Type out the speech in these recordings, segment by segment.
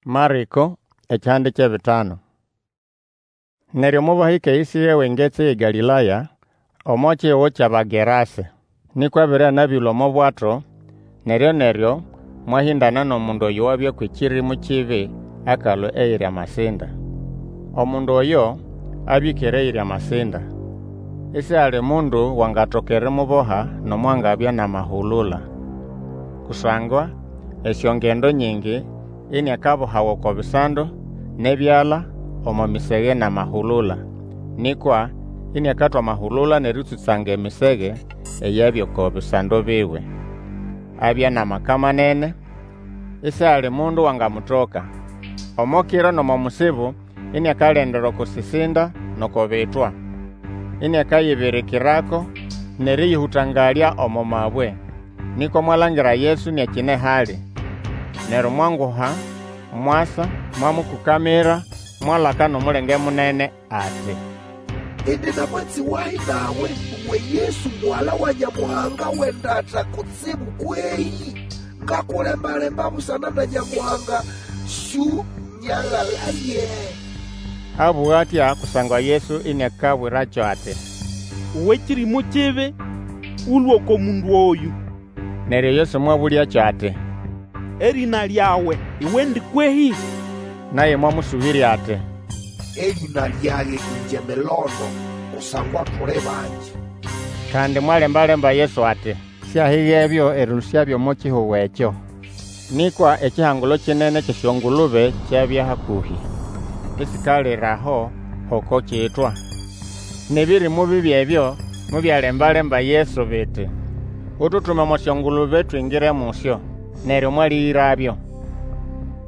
Marĩko ekihande ky'ebitano. Neryo mobahĩka eyĩsĩrya w'engetsi y'eGalĩlaya, omo kihugo ky'Abagerase. Nĩkwa abere anabĩlũa omo bwato, neryo-neryo mwahĩndana n'omundu oyo wabya kw'ekĩrĩmũ kibi akalũa eyiri amasinda. Omundu oyo abya ĩkere eyiri amasinda, isihali mundu wangatoka erimuboha nomo angabya n'amahulula. Kusangwa esyongendo nyingi iniakabohawa oko bisando n'ebyala omo misege n'amahulula, nĩkwa iniakatwa amahulula n'erĩtsũtsanga emisege eyabya oko bisando biwe. Abya n'amaka manene, isihali mundu wangamutoka. Omo kiro n'omo musibo iniakalendera oko sisinda n'oko bitwa, iniakayibirikirako n'erĩyĩhũtangalya omo mabwe. Nĩkwa mwalangira Yesu iniakine hali, neryo mwanguha mwasa, mwamũkũkamira, mwalaka n'omulenge munene ati, Indi na mwatsi wahi nawe, uwe Yesu Mugala wa Nyamuhanga w'endata kutsibu kwehĩ? Ngakulemba-lemba busana na Nyamuhanga, Syũnyagalaye. Abũga atya kusangwa Yesu iniakabwĩrakyo ati, Uwe kĩrĩmũ kibi, Ũlũe oko mundu oyũ. Neryo Yesu mwabũlyakyo ati, Erĩna lyawe iwendi kwehĩ? Naye mwamũsũbĩrya ati, Erĩna lyage ĩngye Milondo, kusangwa tuli bangi. Kandi mwalemba-lemba Yesu ati, siahigebyo erĩlũsyabyo omo kihugo ekyo. Nĩkwa ekihangulo kinene ky'esyongulube kyabya hakũhĩ, isikalira aho h'oko kitwa. N'ebĩrĩmũ bibi ebyo mobyalemba-lemba Yesu biti, Ututume omo syongulube twingire musyo. Neryo mwalĩgĩrabyo.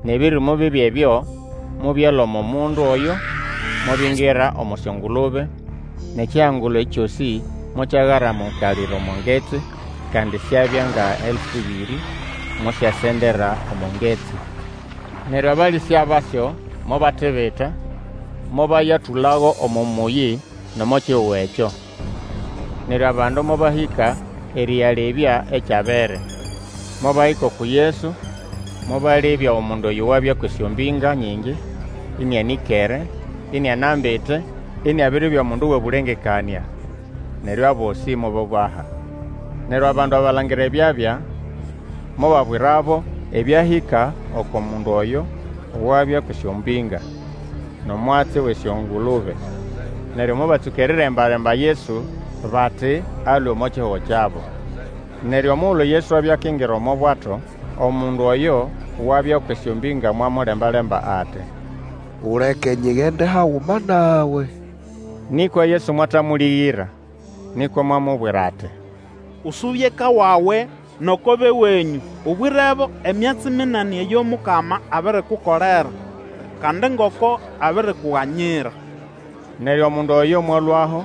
N'ebĩrĩmũ bibi ebyo mobyalũa omo mundu oyo, mobingira omo syongulube, n'ekihangulo kyosĩ mokyagaramukalira omo ngetsi, kandi syabya nga elfu ĩbĩrĩ, mosyasendera omo ngetsi. Neryo abalĩsya basyo mobatibita, mobayatũlago omo mũyĩ n'omo kihugo ekyo. Neryo abandu mobahĩka erĩyalebya ekyabere. Mobahĩka uku Yesu, mobalebya omundu oyo wabya kw'esyombĩnga nyingi, ĩnĩanĩkere, inianambite, iniabiribya mundu w'obũlengekanĩa. Neryo abosĩ mobobaha. Neryo abandu abalangira ebyabya, mobabwirabo ebyahĩka oko mundu oyo owabya kw'esyombĩnga, n'omwatsi w'esyongulube. Neryo mobatsũka eriremba-lemba Yesu bati alũe omo kihugo kyabo. Neryo omugulu Yesu abya akingira omo bwato, omundu oyo wabya kw'esyombĩnga mwamulemba-lemba ati, Uleke nyigende haguma nawe. Nĩkwa Yesu mwatamũlĩgĩra, nĩkwa mwamubwira ati, Usube eka wawe n'oko b'ewenyũ, Ubwirebo emyatsi minene eyo Mukama abirikukolera, kandi ngoko abirikuganyira. Neryo omundu oyo mwalũaho,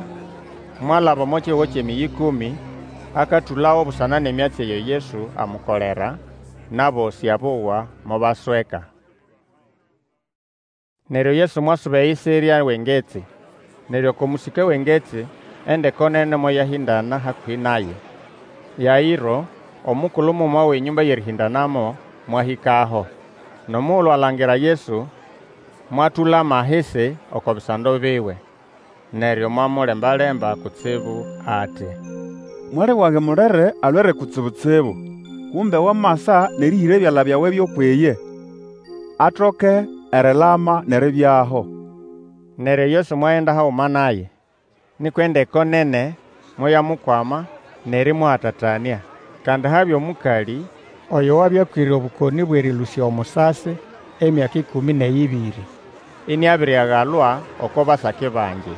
mwalaba omo kihugo ky'emĩyĩ ĩkũmĩ, akatũlago busana n'emyatsi eyo Yesu amukolera, n'abosĩ abowa mobasweka. Neryo Yesu mwasuba eyisirya w'engetsi. Neryo oko mũsĩke w'engetsi, endeko nene moyahĩndana hakũhĩ naye. Yaĩro, omukulu muguma w'enyũmba y'erĩhĩndanamo, mwahĩkaho. N'omugulu alangira Yesu, mwatũlama ahisi oko bisando biwe. Neryo mwamulemba-lemba kutsibu ati, Mwali wage mulere alwere kutsibu-tsibu. Kumbe wamasa n'erĩhĩra ebyala byawe by'ukw'iye, atoke erilama n'eribyaho. Neryo Yesu mwagenda haguma naye. Nĩkwa endeko nene moyamukwama n'erĩmũhatatanĩa. Kandi habya omũkalĩ oyo wabya akwĩre obũkonĩ bw'erĩlũsya omusasi emyaka ĩkũmĩ n'eyĩbĩrĩ, iniabiriagalwa oko basaki bangi,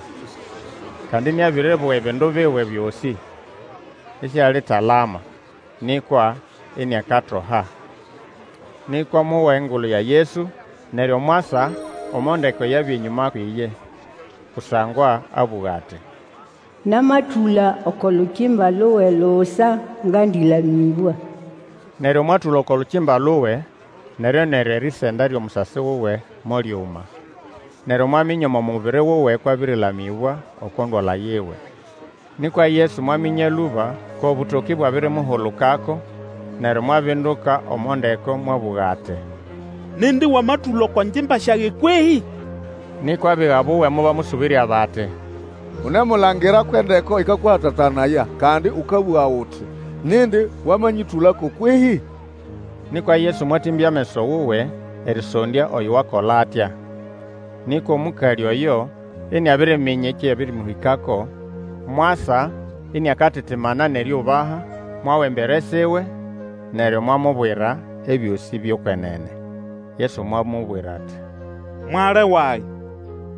kandi iniabiribowa ebindu biwe byosĩ, isialitalama, nĩkwa iniakatoha. Nĩkwa mowa engulu ya Yesu, neryo mwasa omo ndeko eyabya enyũma kw'iye, kusangwa abũga ati, Namatũla oko lukimba luwe lusa, ngandĩlamĩbwa. Neryo mwatũla oko lukimba luwe, neryo-neryo erisenda ly'omusasi wuwe molyuma. Neryo mwaminya omo mubiri wuwe kw'abĩrĩlamĩbwa oko ndwala yiwe. Nĩkwa Yesu mwaminya lũba kw'obũtokĩ bwabirimuhulukako, neryo mwabinduka omo ndeko mwabũga ati, Nindi wamatũla oko ngimba syage kwehĩ? Nĩkwa abiga buwe mobamũsũbĩrya bati, Unemulangira kw'endeko ĩkakũhatatanaya, kandi ũkabũga uti, Nindi wamanyĩtũlako kwehĩ? Nĩkwa Yesu mwatĩmbya ameso wuwe erĩsondya oyo wakola atya. Nĩkwa omũkalĩ oyo iniabiriminya ekyabĩrĩmũhĩkako, mwasa iniakatitimana n'erĩũbaha, mwawa embere siwe, neryo mwamubwira ebyosĩ by'okwenene. Yesu mwamubwira ati, Mwali wage,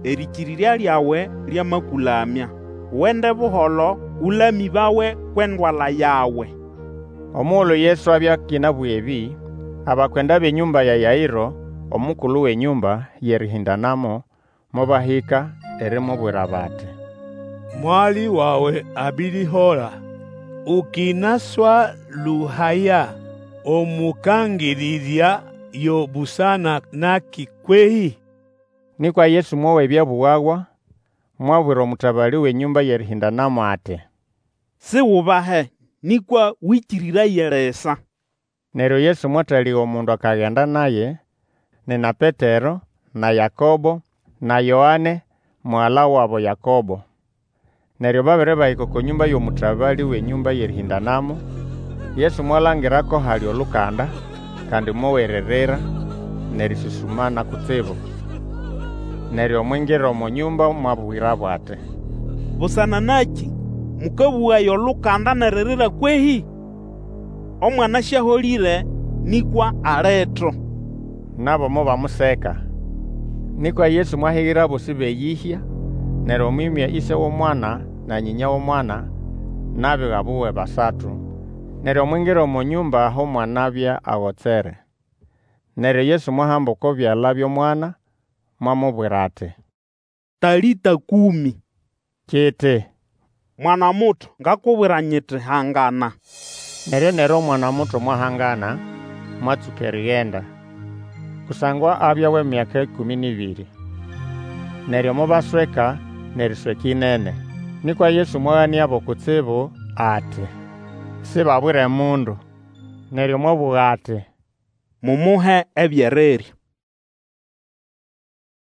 erĩkĩrĩrya lyawe lyamakũlamya. Ugende buholo, ũlamĩbawe kw'endwala yawe. Omugulu Yesu abya akĩnabũga ebĩ, abakwenda b'enyũmba ya Yaĩro, omukulu w'enyũmba y'erĩhĩndanamo, mobahĩka erimubwira bati, Mwali wawe abirihola. Ũkĩnaswalũhaya Omũkangĩrĩrya yo busana nakĩ kwehĩ? Nĩkwa Yesu mwowa ebyabũgawa, mwabwira omũtabalĩ w'enyũmba y'erĩhĩndanamo ati, Sigubahe, nĩkwa wĩkĩrĩraye lisa. Neryo Yesu mwatalĩga omundu akagenda naye, nina Petero, na Yakobo, na Yoane, mugala wabo Yakobo. Neryo babere bahĩka oko nyũmba y'omũtabalĩ w'enyũmba y'erĩhĩndanamo, Yesu mwalangira ko hali olukanda, kandi mowa eririra n'erĩsũsũmana kutsibu. Neryo mwingira omo nyũmba mwabwirabo ati, Busana nakĩ mũkabũgaya olukanda n'eririra kwehĩ? Omwana sĩaholĩre, nĩkwa alito. Nabo mobamuseka. Nĩkwa Yesu mwahigira abosĩ b'eyĩhya, neryo mwĩmya ĩse w'omwana na nyĩnya w'omwana, n'abiga buwe basatu, neryo mwingira omo nyũmba aho omwana abya agotsere. Neryo Yesu mwahamba oko byala by'omwana, mwamubwira ati, Talĩta kũmĩ! Kiti, Mwana muto, ngakubwira nyiti, Hangana. Neryo-neryo omwana muto mwahangana, mwatsũka erigenda, kusangwa abya w'emyaka ĩkũmĩ n'ĩbĩrĩ. Neryo mobasweka n'erisweka ĩnene. Nĩkwa Yesu mwaganĩabo kutsibu ati, Sibabwire mundu. Neryo mwabũga ati, Mumuhe eby'erirya.